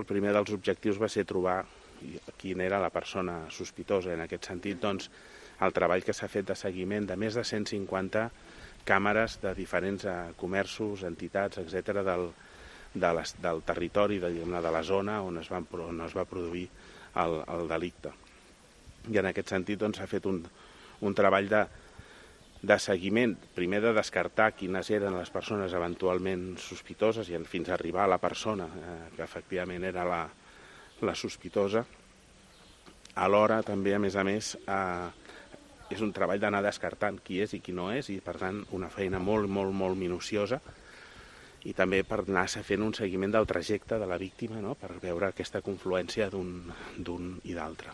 El primer dels objectius va ser trobar quina era la persona sospitosa. En aquest sentit, doncs, el treball que s'ha fet de seguiment de més de 150 càmeres de diferents comerços, entitats, etc. del territori, de la zona on es va produir el delicte. I en aquest sentit doncs, s'ha fet un treball de seguiment, primer de descartar quines eren les persones eventualment sospitoses i fins a arribar a la persona que efectivament era la sospitosa. Alhora també, a més, és un treball d'anar descartant qui és i qui no és, i per tant una feina molt, molt, molt minuciosa, i també per anar fent un seguiment del trajecte de la víctima, no?, per veure aquesta confluència d'un i d'altre.